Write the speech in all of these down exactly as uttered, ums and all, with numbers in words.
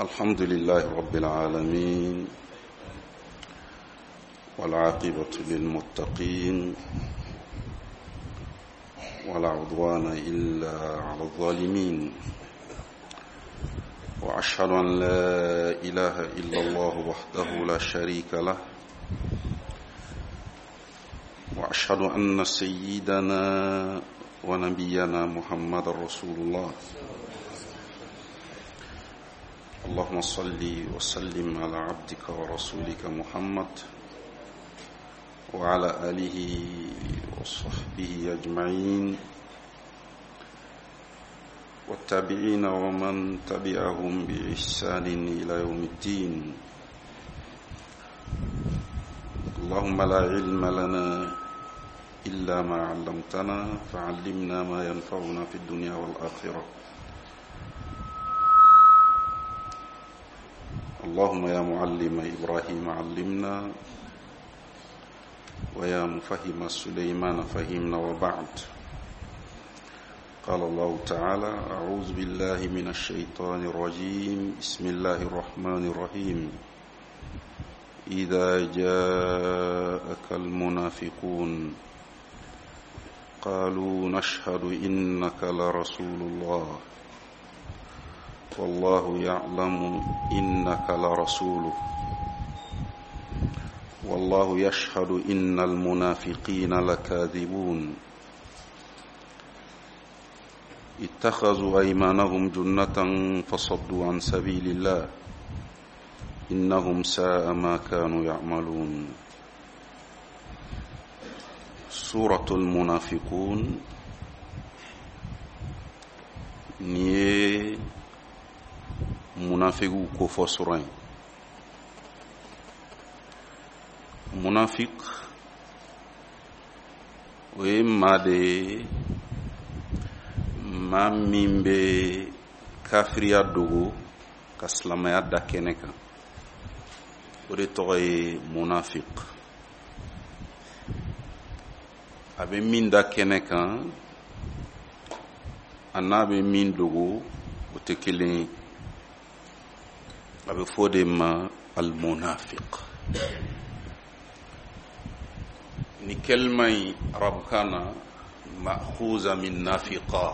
الحمد لله رب العالمين والعاقبة للمتقين ولا عدوان إلا على الظالمين وأشهد أن لا إله إلا الله وحده لا شريك له وأشهد أن سيدنا ونبينا محمد رسول الله اللهم صل وسلم على عبدك ورسولك محمد وعلى آله وصحبه أجمعين والتابعين ومن تبعهم بإحسان إلى يوم الدين اللهم لا علم لنا إلا ما علمتنا فعلمنا ما ينفعنا في الدنيا والآخرة اللهم يا معلم إبراهيم علمنا ويا مفهم سليمان فهمنا وبعد قال الله تعالى أعوذ بالله من الشيطان الرجيم بسم الله الرحمن الرحيم إذا جاءك المنافقون قالوا نشهد إنك لرسول الله والله يعلم إنك لرسوله والله يشهد إن المنافقين لكاذبون اتخذوا أيمانهم جنة فصدوا عن سبيل الله إنهم ساء ما كانوا يعملون سورة المنافقون نيه munafiqu ko fɔ sura in munafik o ye maa de ye maa min bɛ kafiriya dogo ka silamɛya da kɛnɛ kan o de tɔgɔ ye munafik a bɛ min da kɛnɛ kan a n'a bɛ min dogo o tɛ kelen ye a bɛ fɔ o de ma almunafiq ni kalima in arabukan na ma'khuza min nafiqa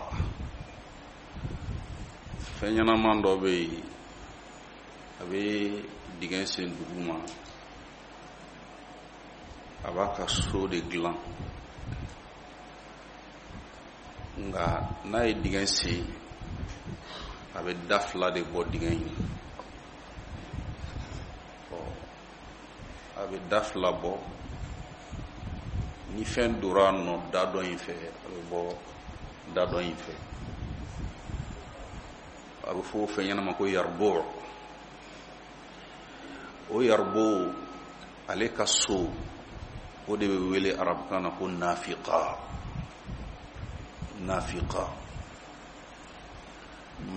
fɛn ɲɛnaman dɔ bɛ yen a bɛ dingɛ sen duguma a b'a ka so de dilan nka n'a ye dingɛ sen a bɛ da fila de bɔ dingɛ in a bɛ da fila bɔ ni fɛn dora a nɔ da dɔ in fɛ a bɛ bɔ da dɔ in fɛ a bɛ fɔ o fɛn ɲɛnama ko yaribo o yaribo ale ka so o de bɛ wele arabukan na ko nafiqa nafiqa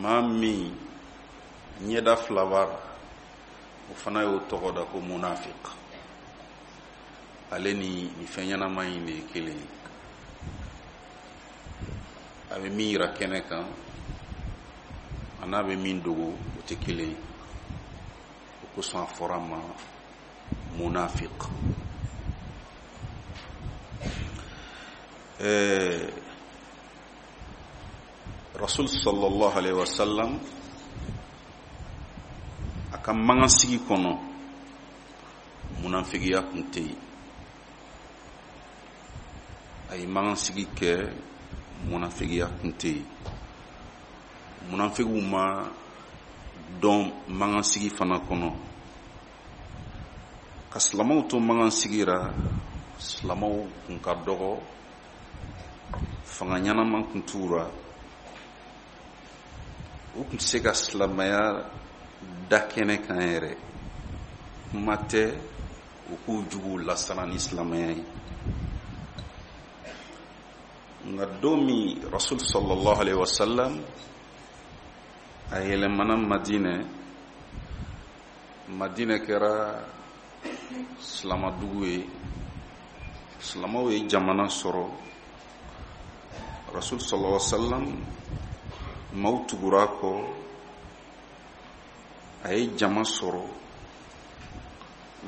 maa min ɲɛda fila b'a la o fana y'o tɔgɔ da ko munafik ale ni nin fɛn ɲɛnama in de ye kelen ye a bɛ min yira kɛnɛ kan a n'a bɛ min dogo o tɛ kelen ye o kosɔn a fɔra a ma munafik ɛɛ rasul sallallahu alaihi wa sallam a ka mankansigi kɔnɔ munafigiya kun tɛ yen a ye mankansigi kɛ munafigiya kun tɛ yen munafigiw ma dɔn mankansigi fana kɔnɔ ka silamɛw to mankansigi ra silamɛw kun ka dɔgɔ fanga ɲɛnama kun t'u ra u kun tɛ se ka silamɛya da kɛnɛ kan yɛrɛ kuma tɛ u k'u juguw lasiran ni silamɛya ye nka don min rasul sallallahu alaihi wasallam a yɛlɛmana madinɛ madinɛ kɛra silamadugu ye silamaw ye jamana sɔrɔ rasul sallallahu alaihi wasallam maaw tugura a kɔ A ye jama sɔrɔ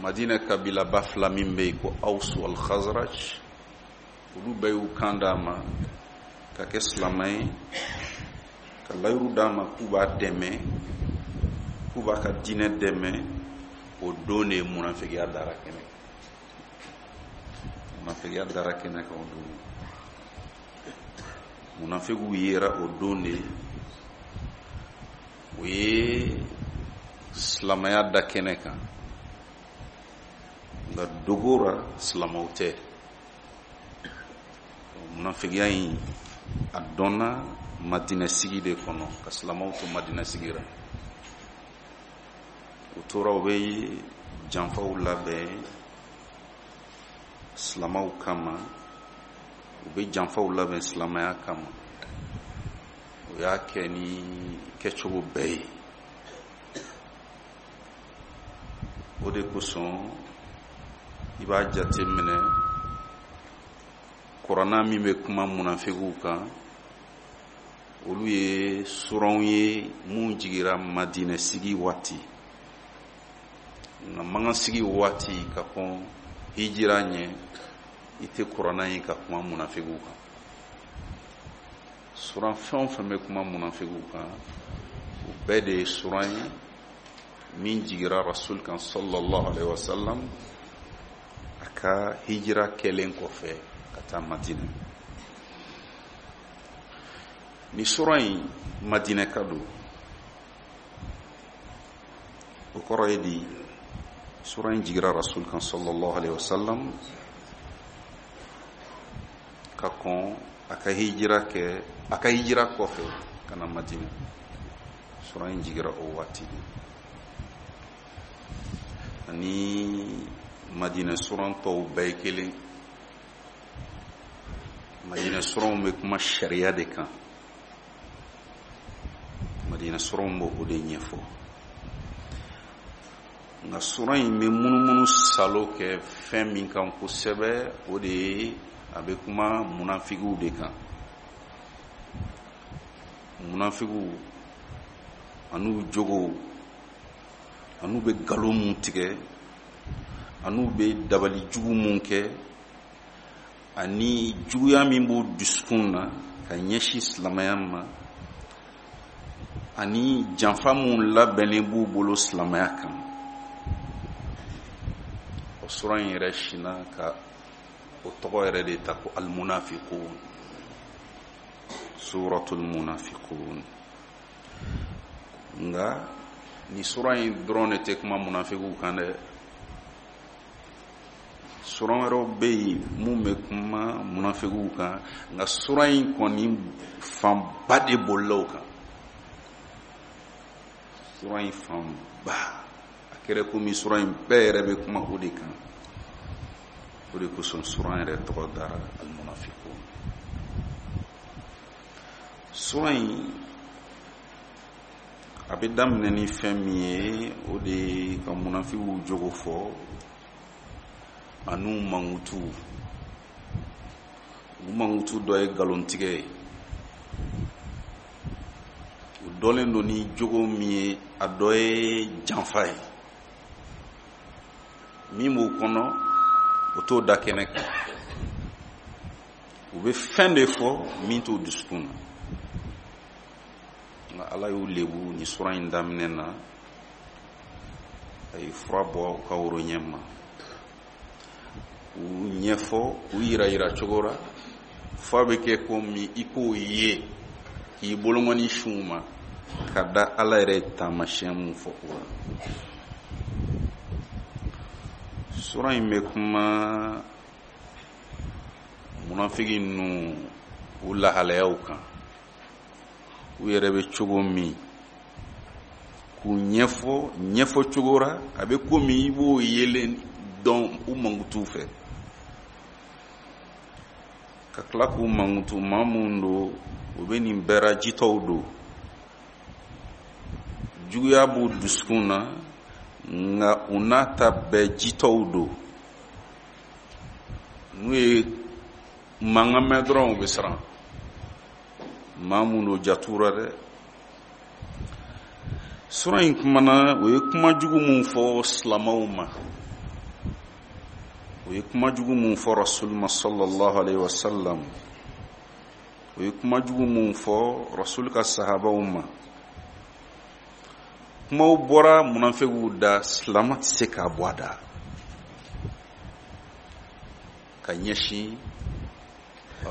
Madina kabilaba fila min bɛ yen ko Aws wal Khazraj, olu bɛɛ y'u kan d'a ma ka kɛ silamɛ ye, ka layiru d'a ma k'u b'a dɛmɛ, k'u b'a ka diinɛ dɛmɛ. O don de ye munafigiya dara kɛnɛ kan. Munafigiya dara kɛnɛ kan o don. Munafigiw yera o don de, o ye silamɛya da kɛnɛ kan, nka dogo ra silamɛw tɛ. Munafigiya in a dɔnna Madinɛ sigi de kɔnɔ, ka silamɛw to Madinɛ sigi ra. U tora u bɛ janfaw labɛn silamɛw kama, u bɛ janfaw labɛn silamɛya kama. U y'a kɛ ni kɛcogo bɛɛ ye. O de kosɔn i b'a jate minɛ Kurana min bɛ kuma munafigiw kan, olu ye suranw ye mun jigira Madinɛ sigi waati. Nka Makan sigi waati ka kɔn hijira ɲɛ, i tɛ Kurana ye ka kuma munafigiw kan. Suran fɛn o fɛn bɛ kuma munafigiw kan, o bɛɛ de ye suran ye min jigira Rasul kan sallallahu alaihi wasallam a ka hijira kɛlen kɔfɛ ka taa Madinɛ. Ni suran in Madinɛ ka don, o kɔrɔ ye di? Suran in jigira Rasul kan sallallahu alaihi wasallam ka kɔn a ka hijira kɛ, a ka hijira kɔfɛ ka na Madinɛ. Suran in jigira o waati de. Ani Madinɛ suran tɔw bɛɛ ye kelen. Madinɛ suranw bɛ kuma sariya de kan. Madinɛ suranw b'o de ɲɛfɔ. Nka suran in bɛ munumunu salo kɛ fɛn min kan kosɛbɛ, o de ye a bɛ kuma munafigiw de kan. Munafigiw an'u jogow, an'u bɛ nkalon mun tigɛ, an'u bɛ dabali jugu mun kɛ, ani juguya min b'u dusukun na ka ɲɛsin silamɛya ma, ani janfa mun labɛnnen b'u bolo silamɛya kan. O suran in yɛrɛ sinna ka o tɔgɔ yɛrɛ de ta ko almunafiqun, suratul munafiqun. Nka ni suran in dɔrɔn de tɛ kuma munafigiw kan dɛ. Suran wɛrɛw bɛ yen mun bɛ kuma munafigiw kan, nka suran in kɔni fanba de bolila o kan. Suran in fanba, a kɛra komi suran in bɛɛ yɛrɛ bɛ kuma o de kan. O de kosɔn suran yɛrɛ tɔgɔ dara almunafiqun. Suran in a bɛ daminɛ ni fɛn min ye, o de ye ka munafigiw jogo fɔ an'u mankutu. U mankutu dɔ ye nkalontigɛ ye. U dɔnlen don ni jogo min ye, a dɔ ye janfa ye. Min b'u kɔnɔ, o t'o da kɛnɛ kan. U bɛ fɛn de fɔ min t'u dusukun na. Nka Ala y'u lebu ni suran in daminɛ na, a ye fura bɔ u ka woro ɲɛ ma, k'u ɲɛfɔ, k'u yira yira cogo la f'a bɛ kɛ komi i k'o ye, k'i bolokɔni sun u ma ka da Ala yɛrɛ ye taamasiyɛn mun fɔ o la. Suran in bɛ kuma munafigi ninnu u lahalayaw kan, u yɛrɛ bɛ cogo min, k'u ɲɛfɔ ɲɛfɔ cogo la a bɛ komi i b'o yelen dɔn u mankutu fɛ, ka tila k'u mankutu maa mun don, u bɛ nin bɛɛ ra jitɔw don, juguya b'u dusukun na, nka u n'a ta bɛɛ jitɔw don. N'u ye mankan mɛn dɔrɔn u bɛ siran. Maa mun don jat'u ra dɛ. Sura in kumana o ye kuma jugu mun fɔ silamɛw ma, o ye kuma jugu mun fɔ rasul ma sallallahu alaihi wasallam, o ye kuma jugu mun fɔ rasul ka sahabaw ma. Kumaw bɔra munafigiw da, silamɛ tɛ se k'a bɔ a da ka ɲɛsin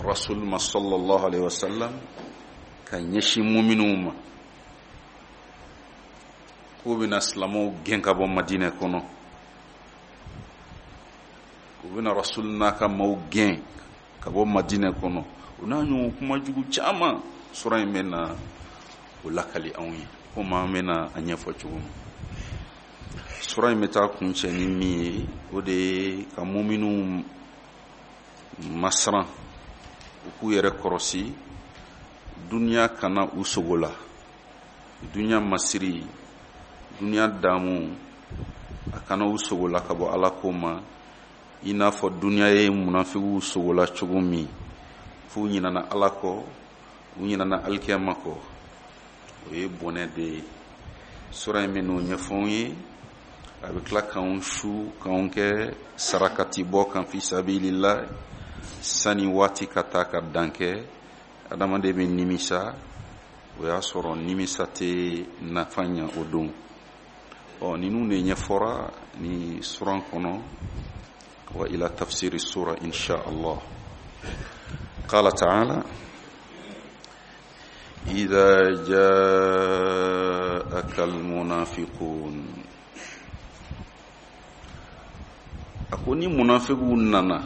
rasul ma sallallahu alaihi wasallam, ka ɲɛsin muminuw ma, k'u bɛna silamɛw gɛn ka bɔ Madinɛ kɔnɔ, u bɛna rasul n'a ka maaw gɛn ka bɔ Madinɛ kɔnɔ. O n'a ɲɔgɔn kuma jugu caman, sura in bɛna o lakali anw ye, komi an bɛna a ɲɛfɔ cogo min. Sura in bɛ taa kuncɛ ni min ye, o de ye ka muminuw masiran, u k'u yɛrɛ kɔrɔsi duniya kana u sogo la, duniya masiri, duniya damu, a kana u sogo la ka bɔ Ala ko ma, i n'a fɔ duniya ye munafigiw sogo la cogo min, f'u ɲinana Ala kɔ, u ɲinana alikiyama kɔ. O ye bɔnɛ de ye. Sura in bɛ n'o ɲɛfɔ anw ye, a bɛ tila k'anw su k'anw kɛ sarakati bɔ kan fi sabilillah, sani waati ka taa ka dan kɛ, adamaden bɛ nimisa, o y'a sɔrɔ nimisa tɛ nafa ɲɛ o don. Ɔ ninnu de ɲɛfɔra ni suran kɔnɔ. Wa ila tafsiri sura insha Allah. Qala ta'ala: idha ja'aka al-munafiqun. A ko ni munafiqu nana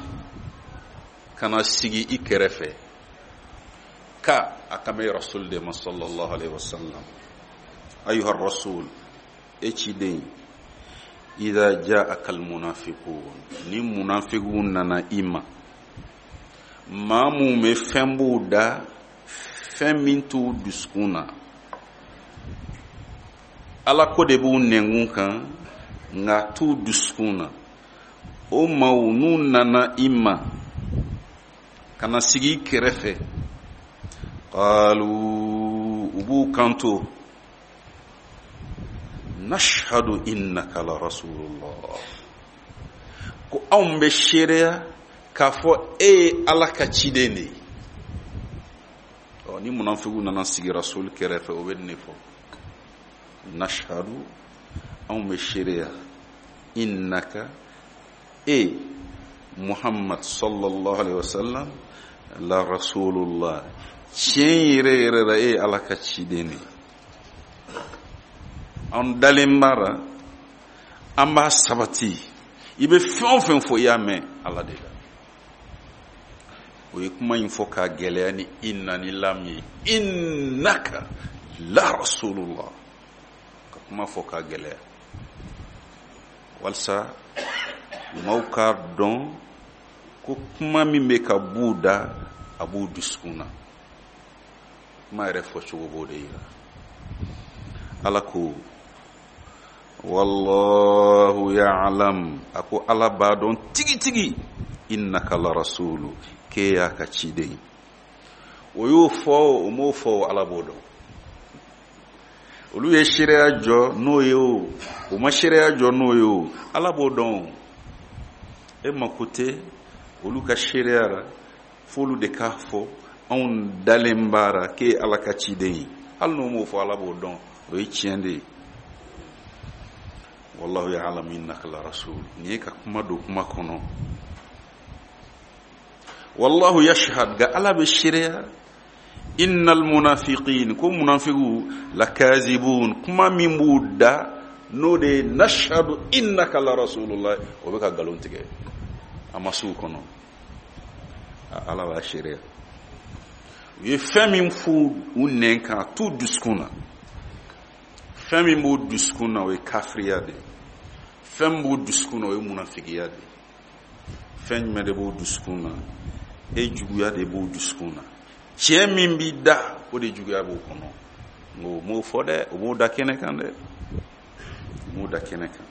kana sigi i kɛrɛfɛ, ka a kan bɛ rasul de ma sallallahu alaihi wasallam, ayuha rasul, e ciden, idha ja'aka al-munafiqun, ni munafiqu nana i ma, maa mun bɛ fɛn b'u da, fɛn min t'u dusukun na, Ala ko de b'u nɛnkun kan, nka t'u dusukun na, o maaw n'u nana i ma ka na sigi i kɛrɛfɛ, qalu, u b'u kanto, nashhadu innaka la rasulullah, ko anw bɛ seereya k'a fɔ e ye Ala ka ciden de ye. Ɔ ni munafigiw nana sigi rasul kɛrɛfɛ, o bɛ nin de fɔ: nashhadu, anw bɛ seereya, innaka, e Muhammad sallallahu alaihi wasallam, la rasulullah, tiɲɛ yɛrɛ yɛrɛ la e ye Ala ka ciden de ye. An dalen b'a la, an b'a sabati, i bɛ fɛn o fɛn fɔ i y'a mɛn Ala de la. O ye kuma in fɔ k'a gɛlɛya ni inna ni lam ye, innaka la rasulullah, ka kuma fɔ k'a gɛlɛya walasa maaw k'a dɔn ko kuma min bɛ ka b'u da, a b'u dusukun na. Kuma yɛrɛ fɔcogo b'o de yira. Ala ko wallahu ya'lam, a ko Ala b'a dɔn tigitigi, innaka la rasulu, k'e y'a ka ciden. O y'o fɔ, o m'o fɔ, Ala b'o dɔn. Olu ye seereya jɔ n'o ye o, o ma seereya jɔ n'o ye o, Ala b'o dɔn. E mako tɛ olu ka seereya la, f'olu de k'a fɔ anw dalen b'a la k'e ye Ala ka ciden ye. Hali n'o m'o fɔ, Ala b'o dɔn, o ye tiɲɛ de ye. Wallahu ya'lamu innaka la rasul. Nin ye ka kuma don kuma kɔnɔ. Wallahu yashhad, ga Ala bɛ seereya, innal munafiqin, ko munafiqu lakazibun, kuma min b'u da n'o de ye nashhadu innaka la rasulullah, o bɛ ka nkalon tigɛ a ma s'u kɔnɔ. Ala b'a seereya. U ye fɛn min f'u u nɛn kan, a t'u dusukun na. Fɛn min b'u dusukun na, o ye kafiriya de ye. Fɛn min b'u dusukun na, o ye munafigiya de ye. Fɛn jumɛn de b'u dusukun na? E juguya de b'u dusukun na. Tiɲɛ min b'i da, o de juguya b'u kɔnɔ. Nka o m'o fɔ dɛ, o m'o da kɛnɛ kan dɛ, o m'o da kɛnɛ kan.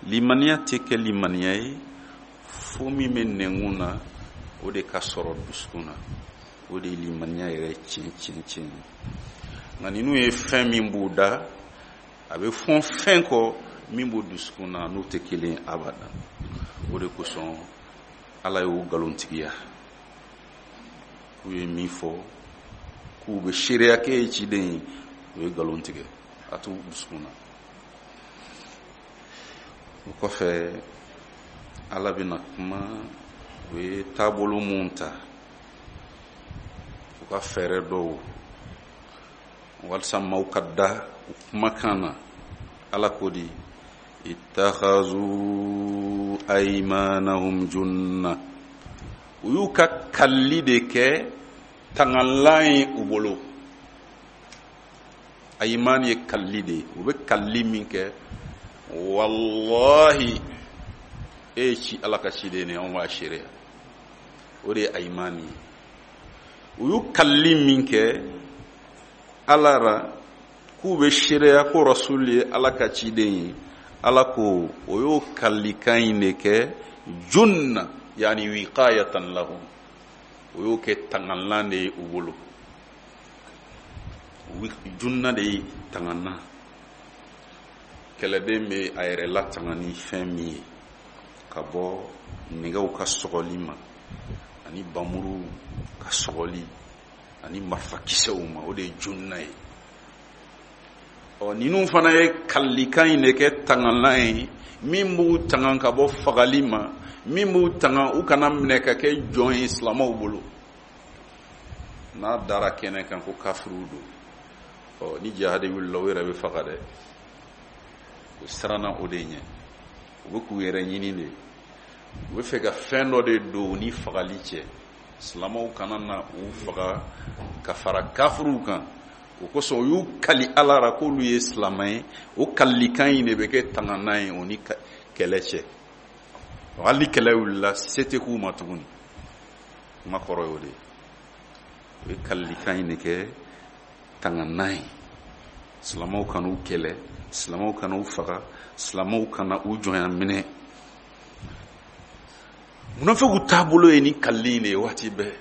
Limaniya tɛ kɛ limaniya ye fo min bɛ nɛnkun na, o de ka sɔrɔ dusukun na. O de ye limaniya yɛrɛ tiɲɛ tiɲɛ tiɲɛ ye. Nka ninnu ye fɛn min b'u da, A bɛ fɔn fɛn kɔ min b'o dusukun na n'o tɛ kelen abada. O de kosɔn Ala y'o nkalontigiya. K'u ye min fɔ k'u bɛ seereya k'e ye ciden ye, o ye nkalon tigɛ, a t'u dusukun na. O kɔfɛ Ala bɛna kuma u ye taabolo mun ta, u ka fɛɛrɛ dɔw walasa maaw ka da u kumakan na. Ala ko di ittakhazu aymanahum junna, u y'u ka kalili de kɛ tangalan ye u bolo. Ayman ye kalili de ye, u bɛ kalili min kɛ, wallahi e ye ci Ala ka ciden de ye, anw b'a seereya. O de ye ayman ye. U y'u kalili min kɛ Ala ra k'u bɛ seereya ko Rasul ye Ala ka ciden ye, Ala ko o y'o kalilikan in de kɛ junna, yani wiqayatan lahum, o y'o kɛ tangalan de ye u bolo. Junna de ye tangalan. Kɛlɛden bɛ a yɛrɛ latanga ni fɛn min ye ka bɔ nɛgɛw ka sɔgɔli ma, ani bamuru ka sɔgɔli, ani marifakisɛw ma, o de ye junna ye. Ɔ ninnu fana ye kalilikan in de kɛ tangalan ye min b'u tanga ka bɔ fagali ma, min b'u tanga u kana minɛ ka kɛ jɔn ye silamɛw bolo. N'a dara kɛnɛ kan ko kafiriw don, ɔ ni jihadi wulila u yɛrɛ bɛ faga dɛ. U siranna o de ɲɛ, u bɛ k'u yɛrɛ ɲini de, u bɛ fɛ ka fɛn dɔ de don u ni fagali cɛ, silamɛw kana na u faga ka fara kafiriw kan. O kosɔn u y'u kali Ala ra k'olu ye silamɛ ye, o kalilikan in de bɛ kɛ tanganan ye o ni kɛlɛ cɛ. Hali ni kɛlɛ wulila se tɛ k'u ma tuguni. Kuma kɔrɔ y'o de ye. U ye kalilikan in de kɛ tanganan ye, silamɛw kana u kɛlɛ, silamɛw kana u faga, silamɛw kana u jɔnya minɛ. Munafiqu taabolo ye ni kalili in de ye waati bɛɛ.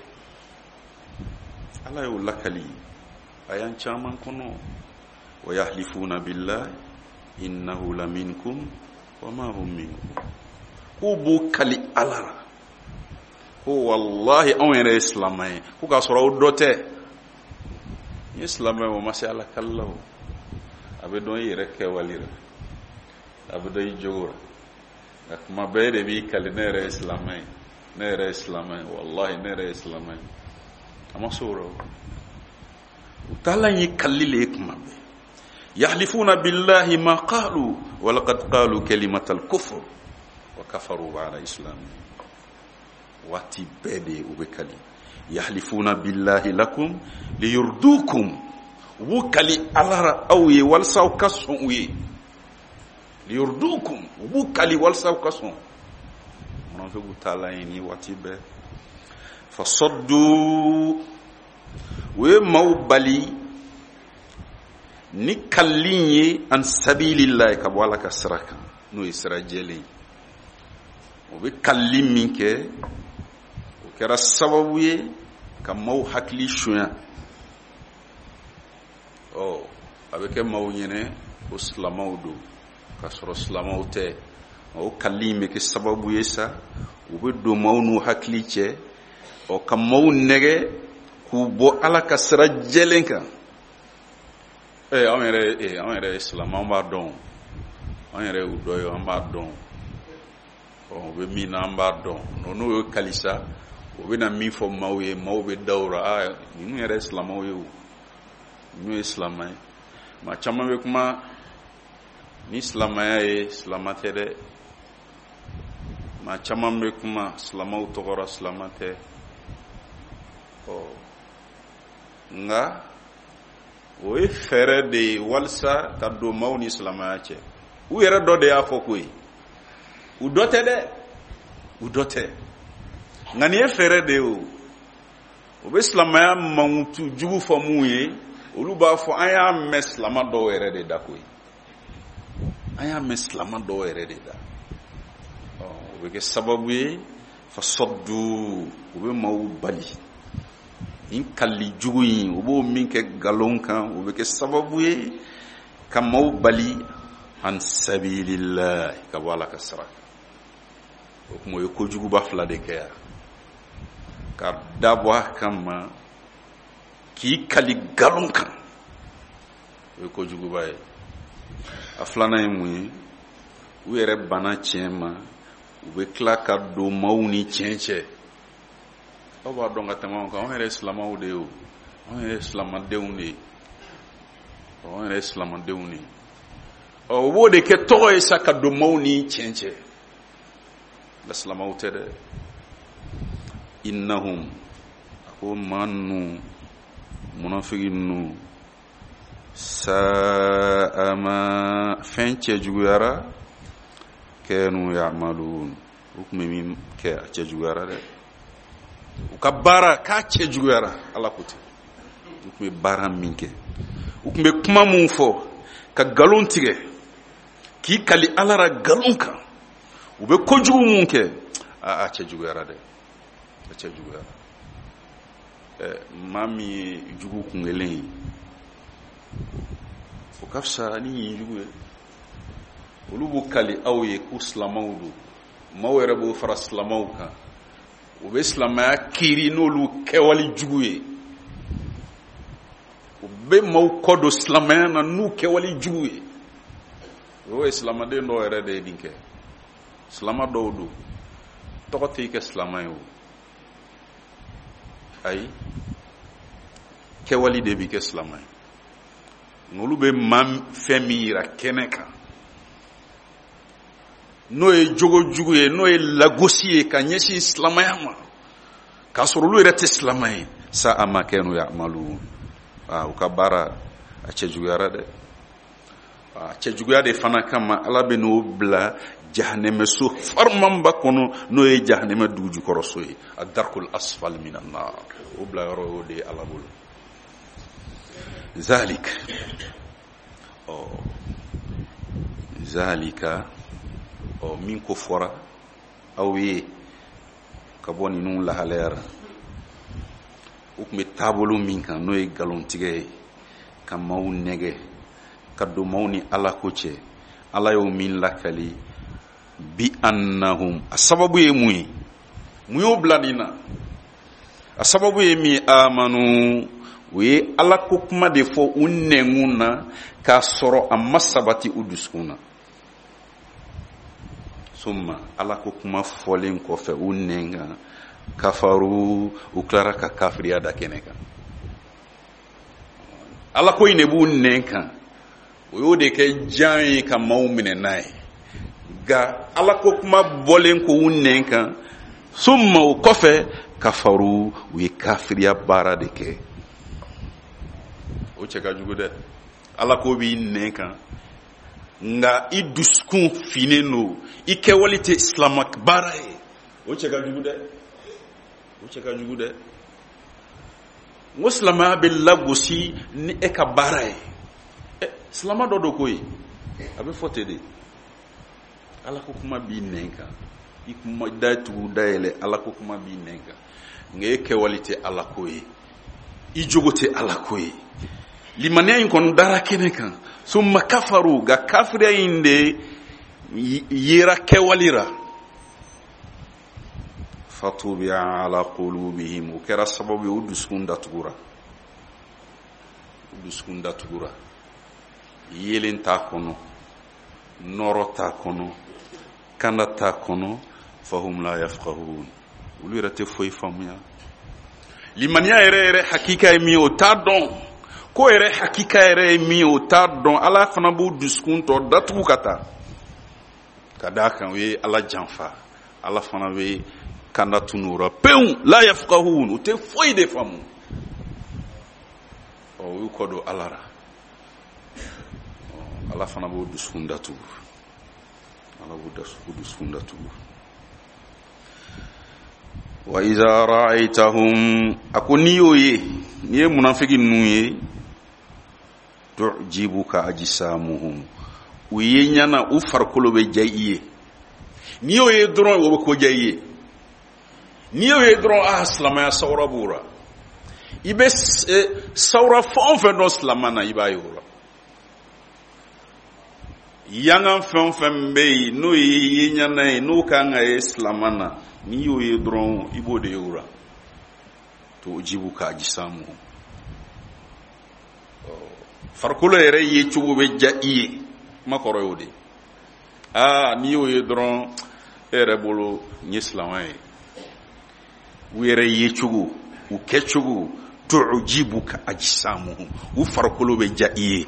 Ala y'o lakali a y'an caman kɔnɔ. Wa yahlifuna billahi innahu laminkum wa ma hum minkum. K'u b'u kali Ala la ko wallahi anw yɛrɛ ye silamɛ ye, ko k'a sɔrɔ aw dɔ tɛ. Ni ye silamɛ ye, o ma se Ala kali la o. A bɛ dɔn i yɛrɛ kɛwale la, a bɛ dɔn i jogo la. Nka kuma bɛɛ de b'i kali ne yɛrɛ ye silamɛ ye, ne yɛrɛ ye silamɛ ye, wallahi ne yɛrɛ ye silamɛ ye. A ma se o rɔ. U taalan ye kalili le ye kuma bɛɛ. Yahlifuna billahi ma qalu wa laqad qalu kalimatal kufr wa kafaru ba'da islamihim. Waati bɛɛ de u bɛ kali. Yahlifuna billahi lakum liyurdukum, u b'u kali Ala ra aw ye walasa aw ka sɔn u ye. Liyurdukum, u b'u kali walasa aw ka sɔn. Munafiqu taalan ye ni waati bɛɛ. Fasaddu, u ye maaw bali ni kalili ye an sabilillahi, ka bɔ Ala ka sira kan, n'o ye sira jɛlen ye. U bɛ kalili min kɛ, o kɛra sababu ye ka maaw hakili sonya. Ɔ a bɛ kɛ maaw ɲɛnɛ ko silamɛw don, k'a sɔrɔ silamɛw tɛ. O kalili in bɛ kɛ sababu ye sa, u bɛ don maaw n'u hakili cɛ, ɔ ka maaw nɛgɛ k'u bɔ Ala ka sira jɛlen kan. Ee anw yɛrɛ ee anw yɛrɛ ye silamɛ, an b'a dɔn, an yɛrɛ y'u dɔ ye, an b'a dɔn. Ɔ u bɛ min na an b'a dɔn. N'o ye kalisa, u bɛna min fɔ maaw ye, maaw bɛ da o la, aa ninnu yɛrɛ ye silamɛw ye o, ninnu ye silamɛ ye. Maa caman bɛ kuma ni silamɛya ye, silamɛ tɛ dɛ. Maa caman bɛ kuma silamɛw tɔgɔ la, silamɛ tɛ. Ɔ nka o ye fɛɛrɛ de ye walasa ka don maaw ni silamɛya cɛ. U yɛrɛ dɔ de y'a fɔ ko ye, u dɔ tɛ dɛ, u dɔ tɛ. Nka nin ye fɛɛrɛ de ye o. O bɛ silamɛya mankutu jugu fɔ mun ye, olu b'a fɔ an y'a mɛn silamɛ dɔw yɛrɛ de da koyi, an y'a mɛn silamɛ dɔw yɛrɛ de da. Ɔ o bɛ kɛ sababu ye fasaddu, u bɛ maaw bali nin kalili jugu in, u b'o min kɛ nkalon kan, o bɛ kɛ sababu ye Ka maaw bali an sabilillah, ka bɔ Ala ka sira kan. O kuma, o ye kojuguba fila de kɛ yan: ka dabɔ a kama k'i kali nkalon kan, o ye kojuguba ye. A filanan ye mun ye? U yɛrɛ banna tiɲɛ ma, u bɛ tila ka don maaw ni tiɲɛ cɛ. Aw b'a dɔn ka tɛmɛ anw kan, anw yɛrɛ ye silamɛw de ye o, anw yɛrɛ ye silamadenw de ye, anw yɛrɛ ye silamadenw de ye. Ɔ, u b'o de kɛ tɔgɔ ye sa ka don maaw ni tiɲɛ cɛ, nka silamɛw tɛ dɛ. Innahum, a ko maa ninnu, munafiki ninnu, sa'a ma, fɛn cɛjuguyara, kanu ya'malun, u tun bɛ min kɛ, a cɛjuguyara dɛ. U ka baara k'a cɛjuguyara. Ala ko ten. U tun bɛ baara min kɛ, u tun bɛ kuma mun fɔ, ka nkalon tigɛ, k'i kali Ala la nkalon kan, u bɛ kojugu mun kɛ, a a cɛjuguyara dɛ, a cɛjuguyara. Ɛ, maa min ye jugu kun kelen ye, o ka fisa ni ɲin jugu ye. Olu b'u kali aw ye ko silamɛw don, maaw yɛrɛ b'o fara silamɛw kan, u bɛ silamɛya kiiri n'olu kɛwale jugu ye, u bɛ maaw kɔ don silamɛya na n'u kɛwale jugu ye. O ye silamɛden dɔw yɛrɛ de ye nin kɛ. Silama dɔw don, tɔgɔ tɛ i kɛ silama ye o, ayi, kɛwale de b'i kɛ silama ye. Nka olu bɛ maa fɛn min yira kɛnɛ kan, n'o ye jogo jugu ye, n'o ye lagosi ye ka ɲɛsin silamɛya ma, k'a sɔrɔ olu yɛrɛ tɛ silamɛ ye, sa'a ma kanu ya'malun. Aa, u ka baara a cɛjuguyara dɛ. A cɛjuguya de fana kama, Ala bɛ n'o bila jahanɛmɛso farimanba kɔnɔ, n'o ye jahanɛmɛ dugujukɔrɔso ye, a darkul asfal minan nar. O bila yɔrɔ y'o de ye Ala bolo. Zalik, ɔ, zalika, ɔ, min ko fɔra aw ye ka bɔ ninnu lahalayara, u tun bɛ taabolo min kan, n'o ye nkalontigɛ ye, ka maaw nɛgɛ ka don maaw ni Ala ko cɛ, Ala y'o min lakali, bi annahum, a sababu ye mun ye? Mun y'o bila nin na? A sababu ye min ye? Amanu, u ye Ala ko kuma de fɔ u nɛnkun na k'a sɔrɔ a ma sabati u dusukun na. Summa, Ala ko kuma fɔlen kɔfɛ u nɛn kan, kafaru, u tilara ka kafiriya da kɛnɛ kan. Ala ko in de b'u nɛn kan, o y'o de kɛ jan ye ka maaw minɛ n'a ye. Nka Ala ko kuma bɔlen ko u nɛn kan, summa, o kɔfɛ, kafaru, u ye kafiriya baara de kɛ. O cɛ ka jugu dɛ. Ala ko b'i nɛn kan, nka i dusukun finnen don, i kɛwale tɛ silama baara ye, o cɛ ka jugu dɛ, o cɛ ka jugu dɛ. N ko silamɛya bɛ lagosi ni e ka baara ye. Ɛ, silama dɔ don ko ye, a bɛ fɔ ten de. Ala ko kuma b'i nɛn kan, i kuma da tugu dayɛlɛ, Ala ko kuma b'i nɛn kan, nka e kɛwale tɛ Ala ko ye, i jogo tɛ Ala ko ye. Limaniya in kɔni dara kɛnɛ kan, summa kafaru, nka kafiriya in de yera kɛwale la. Fatubi'a ala qulubihim, o kɛra sababu ye u dusukun datugura, u dusukun datugura, yelen t'a kɔnɔ, nɔrɔ t'a kɔnɔ, kanda t'a kɔnɔ. Fahum la yafqahun, olu yɛrɛ tɛ foyi faamuya. Limaniya yɛrɛ yɛrɛ hakika ye min ye, o t'a dɔn. Ko yɛrɛ hakika yɛrɛ ye min ye, o t'a dɔn. Ala fana b'u dusukun tɔ datugu ka taa, ka d'a kan u ye Ala janfa. Ala fana bɛ kanda tunu o la pewu. La yafqahun, u tɛ foyi de faamu. Ɔ, u y'u kɔ don Ala la, Ala fana b'o dusukun datugu, Ala b'o dusukun datugu. Wa iza ra'aytahum, a ko n'i y'o ye, n'i ye munafiki ninnu ye, tu'jibuka ajsamuhum, u ye ɲana, u farikolo bɛ diya i ye. N'i y'o ye dɔrɔn, o bɛ ko diya i ye. N'i y'o ye dɔrɔn, ah, silamɛya sawura b'o la. I bɛ sawura fɛn o fɛn dɔn silamɛ na, i b'a ye o la. Yangan fɛn o fɛn bɛ yen n'o ye yeɲana ye, n'o kan ka ye silama na, n'i y'o ye dɔrɔn i b'o de ye o la. Tujibuka ajsamuhum, farikolo yɛrɛ ye cogo bɛ diya i ye, kuma kɔrɔ y'o de ye. Aa, n'i y'o ye dɔrɔn e yɛrɛ bolo n ye silama ye. U yɛrɛ ye cogo, u kɛcogo, tujibuka ajsamuhum, u farikolo bɛ diya i ye.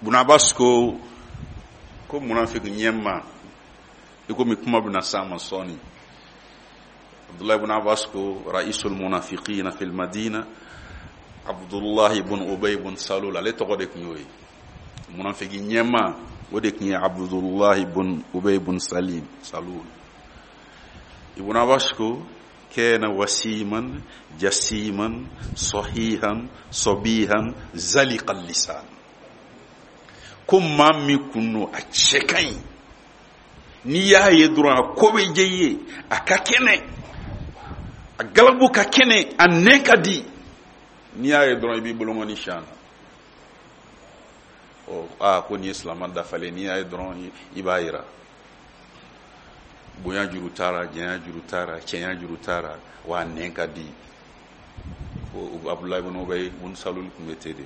Ibn Abbas ko ko munafiki ɲɛma, i komi kuma bɛna s'a ma sɔɔni. Abdullah ibn Abbas ko ra'isul munafiqina fil Madina Abdullah ibn Ubay ibn Salul, ale tɔgɔ de tun y'o ye. Munafiki ɲɛma o de tun ye Abdullah ibn Ubay ibn Salim Salul. Ibn Abbas ko kana wasiman jasiman sahihan sabihan zaliqal lisan, ko maa min kun don a cɛ ka ɲi, n'i y'a ye dɔrɔn a ko bɛ diya i ye, a ka kɛnɛ, a galabu ka kɛnɛ, a nɛn ka di, n'i y'a ye dɔrɔn i b'i bolokɔni siyan na. Ɔ aa, ko nin ye silama dafalen, n'i y'a ye dɔrɔn i b'a yira. Bonya juru t'a la, janya juru t'a la, cɛnya juru t'a la, wa a nɛn ka di. Ko Abdulayi ibn Ubay ibn Salul tun bɛ ten de.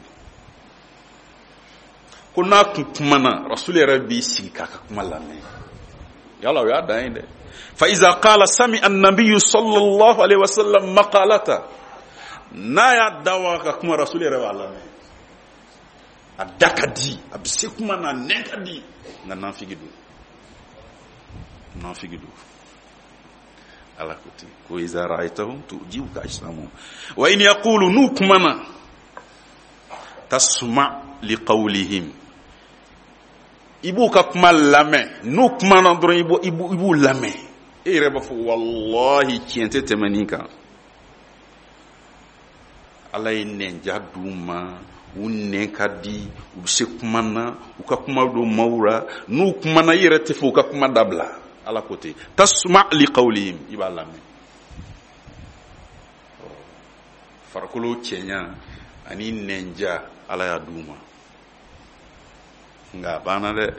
Ko n'a kun kumana, Rasul yɛrɛ b'i sigi k'a ka kuma lamɛn. Yala o y'a dan ye dɛ. Fa iza qala sami an-nabiyyu sallallahu alaihi wasallam maqalata, n'a y'a da waga ka kuma, Rasul yɛrɛ b'a lamɛn. A da ka di, a bɛ se kuma na, a nɛn ka di, nka nafigi don, nafigi don. Ala ko ten ko iza ra'aytahum tu'jibuka ajsamuhum wa in yaqulu, n'u kumana, tasma' liqawlihim, i b'u ka kuma lamɛn. N'u kumana dɔrɔn i b'u i b'u lamɛn, e yɛrɛ b'a fɔ walahi tiɲɛ tɛ tɛmɛ nin kan. Ala ye nɛnja d'u ma, u nɛn ka di, u bɛ se kuma na, u ka kuma don maaw la, n'u kumana i yɛrɛ tɛ fɛ u ka kuma dabila. Ala ko ten tasma' liqawlihim, i b'a lamɛn. Farikolo cɛɲa ani nɛnja Ala y'a d'u ma, nka a banna dɛ.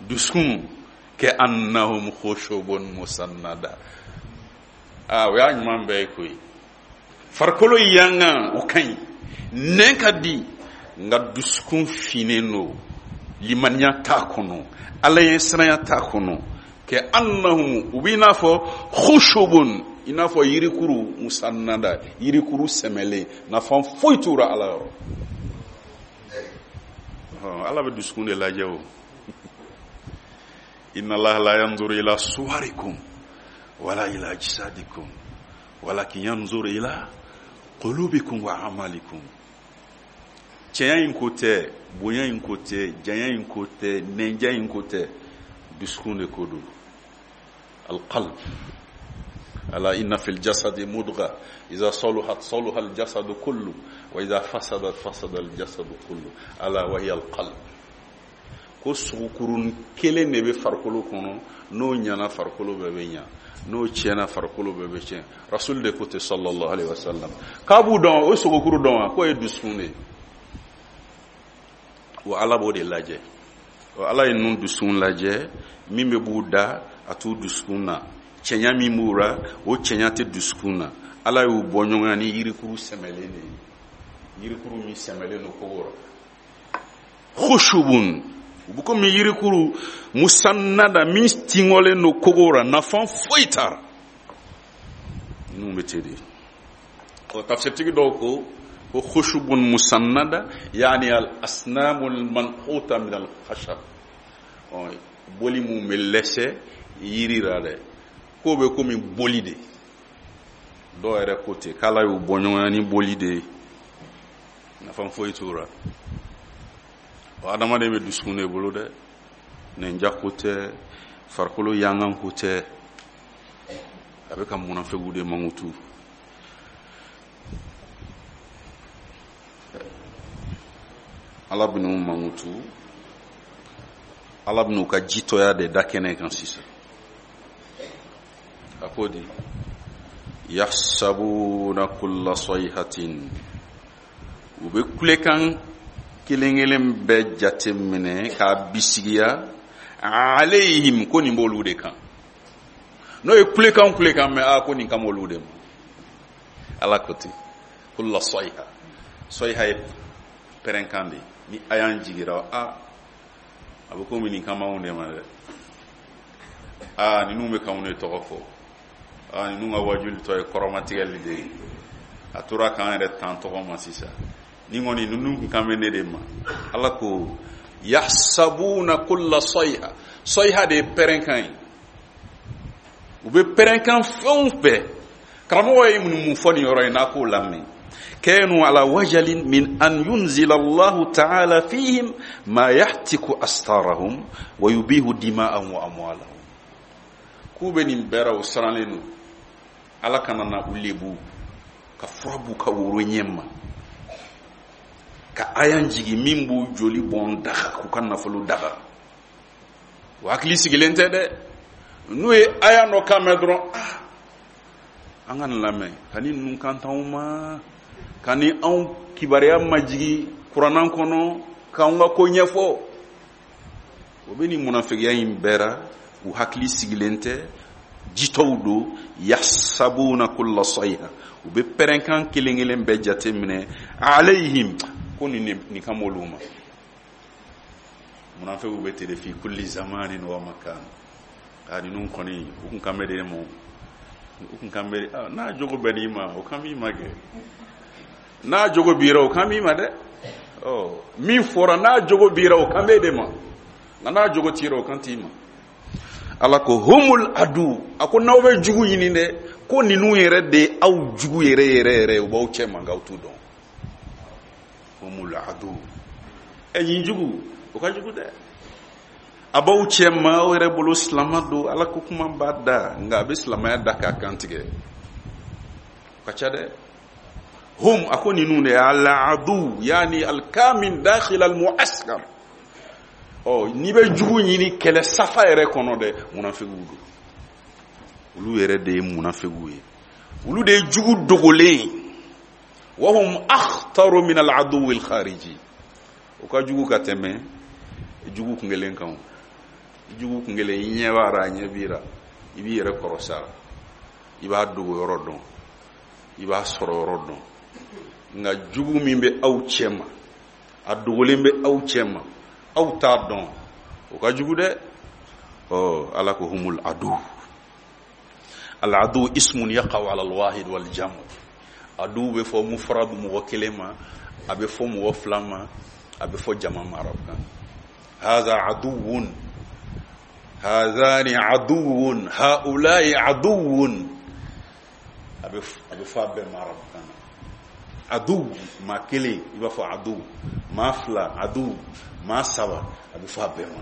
Dusukun kɛ annahum khushubun musannada, aa o y'a ɲuman bɛɛ ye koyi. Farikolo yangan o ka ɲi, nɛn ka di, nka dusukun finnen don, limaniya t'a kɔnɔ, Ala ɲɛ siranya t'a kɔnɔ. Kɛ annahum, u b'i n'a fɔ khushubun, i n'a fɔ yirikuru musannada, yirikuru sɛmɛlen, nafa foyi t'u la Ala yɔrɔ. Ala bɛ dusukun de lajɛ o. Inna Allaha la yanzuru ila suwarikum wala ila ajsadikum walakin yanzuru ila qulubikum wa amalikum. Cɛnya in ko tɛ, bonya in ko tɛ, janya in ko tɛ, nɛnja in ko tɛ, dusukun de ko don. Alqalb, ala inna fil jasadi mudgha iza saluhat saluha al jasadu kullu wa iza fasadat fasada al jasadu kullu ala wa hiya al qalb. Ko sogokurun kelen de bɛ farikolo kɔnɔ, n'o ɲana farikolo bɛɛ bɛ ɲa, n'o tiɲɛna farikolo bɛɛ bɛ tiɲɛ. Rasul de ko ten sallallahu alaihi wasallam k'a b'u dɔn, o sogokuru dɔn wa, k'o ye dusukun de ye. Wa Ala b'o de lajɛ. Wa Ala ye ninnu dusukun lajɛ, min bɛ b'u da a t'u dusukun na, cɛɲa min b'u la o cɛɲa tɛ dusukun na. Ala y'u bɔ ɲɔgɔn na ni yirikuru sɛmɛlen de ye, yirikuru min sɛmɛlen don kogo la. Khushubun, u bɛ komi yirikuru musannada min tingɔlen don kogo la, nafa foyi t'a la. Ninnu bɛ ten de. Ɔ tafsirtigi dɔw ko ko khushubun musannada yaani al asnamul manquta min al khashab, ɔ boli mun bɛ lɛsɛ yiri la dɛ, k'o bɛ komi boli de. Dɔw yɛrɛ ko ten k'Ala y'u bɔ ɲɔgɔn na ni boli de ye, nafa foyi t'o la. Ɔ adamaden bɛ dusukun de bolo dɛ, nɛnja ko tɛ, farikolo yangan ko tɛ, a bɛ ka munafigiw de mankutu. Ala bɛn'u mankutu, Ala bɛn'u ka jitɔya de da kɛnɛ kan sisan. A ko di yahsabuna kulla sayhatin, u bɛ kulekan kelen kelen bɛɛ jate minɛ k'a bisigiya alayhim ko nin b'olu de kan n'o ye kulekan kulekan mɛn a ko nin kan b'olu de ma ala ko ten kulla sayha sayha ye pɛrɛnkan de ni a y'an jigira a a bɛ komi nin kan b'anw de ma dɛ a ninnu bɛ k'anw de tɔgɔ fɔ a ninnu ka wajuli tɔ ye kɔrɔmatigɛli de ye a tora k'an yɛrɛ tan tɔgɔ ma sisan ni kɔni ninnu kun kan bɛ ne de ma ala ko yahsabuna kulla sayha sayha de ye pɛrɛnkan ye u bɛ pɛrɛnkan fɛn o fɛn karamɔgɔ ye mun mun fɔ nin yɔrɔ in n'a k'o lamɛn kanu ala wajalin min an yunzila Allahu ta'ala fihim ma yahtiku astarahum wa yubihu dima'ahum wa amwalahum k'u bɛ nin bɛɛ ra u siranlen don ala kana na u lebu ka fura b'u ka woro ɲɛ ma ka ayan jigi min b'u joli bɔn daga k'u ka nafolo daga o hakili sigilen tɛ dɛ n'u ye aya dɔ kan mɛn dɔrɔn ah an ka nin lamɛn ka ni ninnu kan t'anw ma ka ni anw kibaruya majigi kuranna kɔnɔ k'anw ka ko ɲɛfɔ o bɛ nin munafigiya in bɛɛ ra u hakili sigilen tɛ jitɔw don yahsabuna kulla sayha u bɛ pɛrɛnkan kelen kelen bɛɛ jate minɛ alayhim ko nin nin kan b'olu ma munafigiw bɛ ten de fi kulli zamanin wa makan a ninnu kɔni u kun kan bɛ de ma u kun kan bɛ n'a jogo bɛnn'i ma o kan b'i ma kɛ n'a jogo b'i ra o kan b'i ma dɛ ɔ min fɔra n'a jogo b'i ra o kan b'e de ma nka n'a jogo t'i ra o kan t'i ma ala ko humul adu a ko n'aw bɛ jugu ɲini dɛ ko ninnu yɛrɛ de ye aw jugu yɛrɛ yɛrɛ yɛrɛ u b'aw cɛ ma nka aw t'u dɔn humul adu ɛ nin jugu o ka jugu dɛ a b'aw cɛ ma aw yɛrɛ bolo silama don ala ko kuma b'a da nka a bɛ silamɛya da k'a kan tigɛ o ka ca dɛ hum a ko ninnu de al adu yaani alkamin dakhil al muaskar ɔ n'i bɛ jugu ɲini kɛlɛ safa yɛrɛ kɔnɔ dɛ munafigiw don olu yɛrɛ de ye munafigiw ye olu de ye jugu dogolen ye wa hum akhtaru min al aduwi al khariji o ka jugu ka tɛmɛ jugu kun kelen kan jugu kun kelen i ɲɛ b'a ra a ɲɛ b'i ra i b'i yɛrɛ kɔrɔsi a la i b'a dogo yɔrɔ dɔn i b'a sɔrɔ yɔrɔ dɔn nka jugu min bɛ aw cɛ ma a dogolen bɛ aw cɛ ma aw t'a dɔn o ka jugu dɛ ɔ ala ko humul adu al adu ismun yaqa'u ala al wahid wal jam' adu bɛ fɔ mufrad mɔgɔ kelen ma a bɛ fɔ mɔgɔ fila ma a bɛ fɔ jama ma arabukan hadha aduwwun hadhani aduwwun haula'i aduwwun a bɛ a bɛ fɔ a bɛɛ ma arabukan na adu maa kelen i b'a fɔ adu maa fila adu maa saba a bɛ fɔ a bɛɛ ma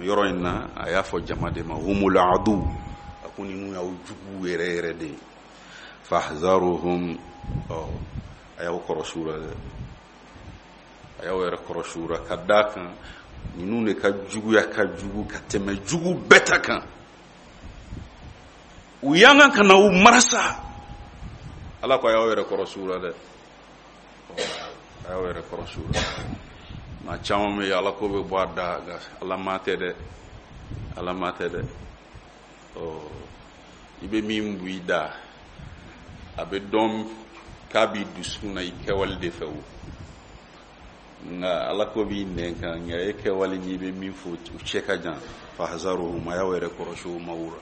yɔrɔ in na a y'a fɔ jama de ma humul adu a ko ninnu y'aw jugu yɛrɛ yɛrɛ de ye fahzaruhum ɔ a y'aw kɔrɔsi u la dɛ a y'aw yɛrɛ kɔrɔsi u la ka d'a kan ninnu de ka juguya ka jugu ka tɛmɛ jugu bɛɛ ta kan u y'an kan ka na u marasa ala ko a y'aw yɛrɛ kɔrɔsi u la dɛ a y'aw yɛrɛ kɔrɔsi u la maa caman bɛ yen ala ko bɛ bɔ a da nka ala maa tɛ dɛ ala maa tɛ dɛ ɔ i bɛ min bu i da a bɛ dɔn k'a b'i dusukun na i kɛwale de fɛ o nka ala ko b'i nɛn kan nka e kɛwale n'i bɛ min fɔ u cɛ ka jan fahzaruhum a y'aw yɛrɛ kɔrɔsi o maaw la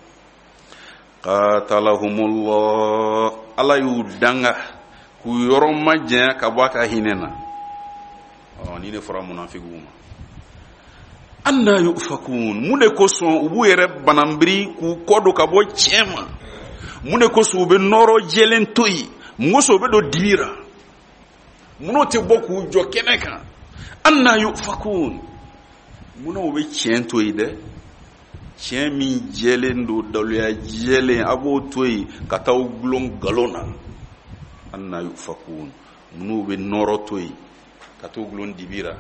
qatalahumullah ala y'u danga k'u yɔrɔ majanya ka bɔ a ka hinɛ na ɔ ni ne fɔra munafigiw ma anna yufakun mun de kosɔn u b'u yɛrɛ bananbiri k'u kɔ don ka bɔ tiɲɛ ma mun de kosɔn u bɛ nɔrɔ jɛlen to yen mun kosɔn u bɛ don dibi ra mun'o tɛ bɔ k'u jɔ kɛnɛ kan anna yufakun munna u bɛ tiɲɛ to yen dɛ tiɲɛ min jɛlen don daluya jɛlen a b'o to yen ka taa u gulon nkalon na anna yufakun mun'u bɛ nɔrɔ to yen ka t'u gulon dibi ra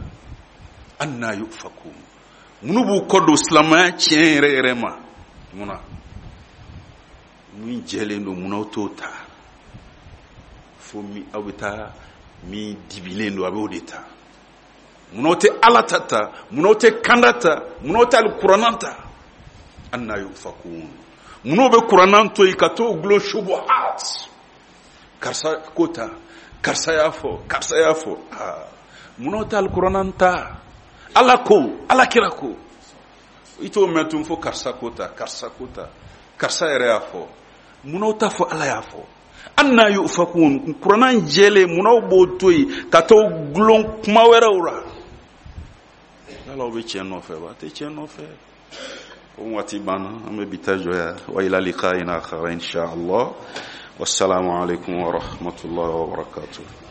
anna yufakun munnu b'u kɔ don silamɛya tiɲɛ yɛrɛ yɛrɛ ma munna min jɛlen don munna aw t'o ta fo min aw bɛ taa min dibilen don a b'o de ta. Munna aw tɛ Ala ta ta? Munna aw tɛ kanda ta? Munna aw tɛ alikuranna ta? Anna yufakun. Munna bɛ kuranna to yen ka t'o gulon shubuhat? Karisa ko ta, karisa y'a fɔ, karisa y'a fɔ. Aa, munna aw tɛ alikuranna ta? Ala ko, Ala kira ko. I t'o mɛn tun fo karisa ko ta, karisa ko ta, karisa yɛrɛ y'a fɔ. Munna aw t'a fɔ Ala y'a fɔ? Anna yufakun. Kuranna jɛlen, munna aw b'o to yen ka t'o gulon kuma wɛrɛw la? Yala aw bɛ tiɲɛ nɔfɛ wa? A tɛ tiɲɛ nɔfɛ. Ko waati banna, an bɛ bi ta jɔ yan. Wa ila liqa'in akhar insha Allah. Wassalamu alaikum wa rahmatullahi wa barakatuh.